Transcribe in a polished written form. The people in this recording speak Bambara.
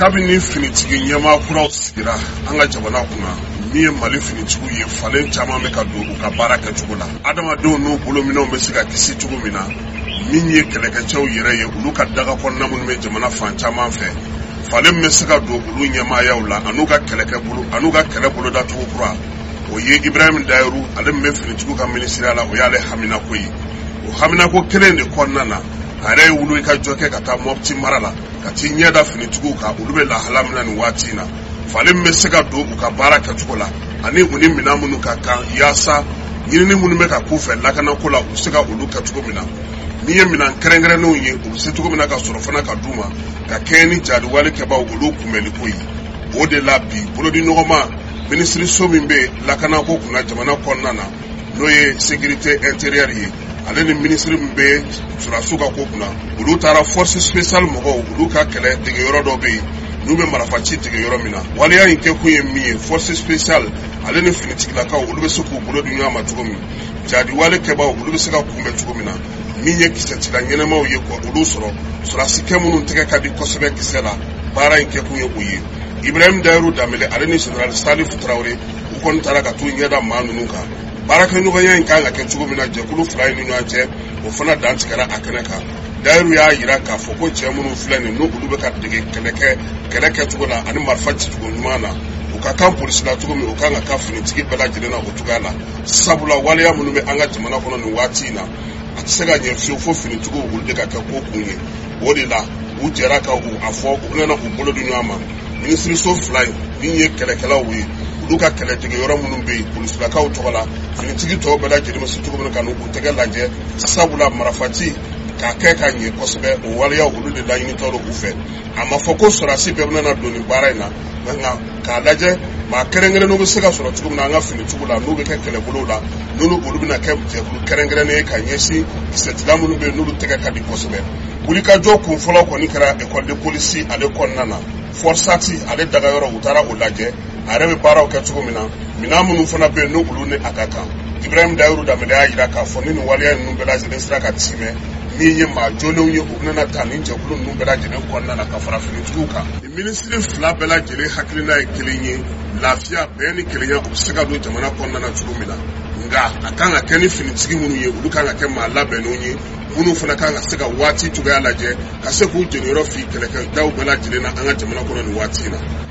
Kabini finitigi ɲɛmaa kuraw sigira an ka jamana kunna, min ye Mali finitigiw ye, falen caman bɛ ka don u ka baara kɛcogo la. Adamadenw n'u bolominɛnw bɛ se ka kisi cogo min na, min ye kɛlɛkɛcɛw yɛrɛ ye, olu ka daga kɔnɔna minnu bɛ jamana fan caman fɛ, falen bɛ se ka don olu ɲɛmaayaw la an'u ka kɛlɛkɛ bolo an'u ka kɛlɛ bolodacogo kura. O ye Ibrahim Dayiru, ale min bɛ finitigiw ka minisiriya la, o y'ale haminako ye. O haminako kelen de kɔnɔna na, a yɛrɛ ye wuli ka jɔ kɛ ka taa Mɔpti mara la, ka t'i ɲɛ da finitigiw kan, olu bɛ lahala min na nin waati in na, falen bɛ se ka don u ka baara kɛcogo la ani u ni minɛn minnu ka kan, yaasa ɲinini minnu bɛ ka k'u fɛ lakanako la, u bɛ se ka olu kɛ cogo min na. Min ye minɛn kɛrɛnkɛrɛnnenw ye, u bɛ se cogo min na ka sɔrɔ fana ka d'u ma ka kɛɲɛ ni jadiwale kɛbaaw olu kunbɛnliko ye. O de la bi, bolodiɲɔgɔnma minisiriso min bɛ lakanako kunna jamana kɔnɔna na, n'o ye sécurité intérieure ye, ale ni minisiri min bɛ sɔrɔdasiw ka ko kunna, olu taara force spéciale mɔgɔw, olu ka kɛlɛ dege yɔrɔ dɔ bɛ yen n'u bɛ marifaci dege yɔrɔ min na. Waleya in kɛkun ye min ye, force spéciale ale ni finitigilakaw, olu bɛ se k'u bolo di ɲɔgɔn ma cogo min, jadiwale kɛbaaw olu bɛ se ka kunbɛn cogo min na, min ye kisɛcila ɲɛnɛmaw ye, ka olu sɔrɔ, sɔrɔdasikɛ minnu tɛgɛ ka di kosɛbɛ kisɛ la. Baara in kɛkun ye o ye. Ibrahim Dayiru Danbele, ale ni général Salif Tarawele, u kɔni taara ka t'u ɲɛda maa ninnu kan. Baarakɛɲɔgɔnya in kan ka kɛ cogo min na jɛkulu fila in ni ɲɔgɔn cɛ, o fana dantigɛra a kɛnɛ kan. Dayiru y'a jira k'a fɔ ko cɛ minnu filɛ nin, n'olu bɛ ka dege kɛlɛkɛ kɛlɛ kɛcogo la ani marifa cicogo ɲuman na, u ka kan polisi la cogo min, u kan ka kan finitigi bɛɛ lajɛlen na o cogoya la, sabula waleya minnu bɛ an ka jamana kɔnɔ nin waati in na, a tɛ se ka ɲɛ fiyewu fo finitigiw olu de ka kɛ ko kun ye. O de la u jɛra ka u a fɔ u bɛna u bolo di ɲɔgɔn ma, minisiriso fila in, min ye kɛlɛkɛlaw ye, olu ka kɛlɛdege yɔrɔ minnu bɛ yen polisilakaw tɔgɔ la, finitigi tɔw bɛɛ lajɛlen bɛ se cogo min na ka n'u tɛgɛ lajɛ, sabula marifaci k'a kɛ ka ɲɛ kosɛbɛ, o waleyaw olu de laɲinitɔ don u fɛ. A ma fɔ ko sɔrɔdasi bɛɛ bɛna don nin baara in na, nka k'a lajɛ maa kɛrɛnkɛrɛnnenw bɛ se ka sɔrɔ cogo min na an ka finitigiw la, n'u bɛ kɛ kɛlɛbolow la, n'olu olu bɛna kɛ jɛkulu kɛrɛnkɛrɛnnen ye ka ɲɛsin kisɛtila minnu bɛ yen n'olu tɛgɛ ka di kosɛbɛ. Wulikajɔ kun fɔlɔ kɔni kɛra école de police ale kɔnɔna na, FORSAT ale dagayɔrɔ, u taara o lajɛ, a yɛrɛ bɛ baaraw kɛ cogo min na, minɛn minnu fana bɛ yen n'olu ni a ka kan. Ibrahim Dayiru Danbele y'a jira k'a fɔ ni nin waleya ninnu bɛɛ lajɛlen sera ka timɛ, min ye maa jolenw ye, u bɛna ta nin jɛkulu ninnu bɛɛ lajɛlen kɔnɔna na ka fara finitigiw kan. Minisiri fila bɛɛ lajɛlen hakilina ye kelen ye: lafiya, bɛn ni kelenya, u bɛ se ka don jamana kɔnɔna na cogo min na. Nka a kan ka kɛ ni finitigi minnu ye, olu kan ka kɛ maa labɛnnenw ye, minnu fana kan ka se ka waati cogoya lajɛ, ka se k'u jeniyɔrɔ fi kɛlɛkɛdaw bɛɛ lajɛlen na an ka jamana kɔnɔ nin waati in na.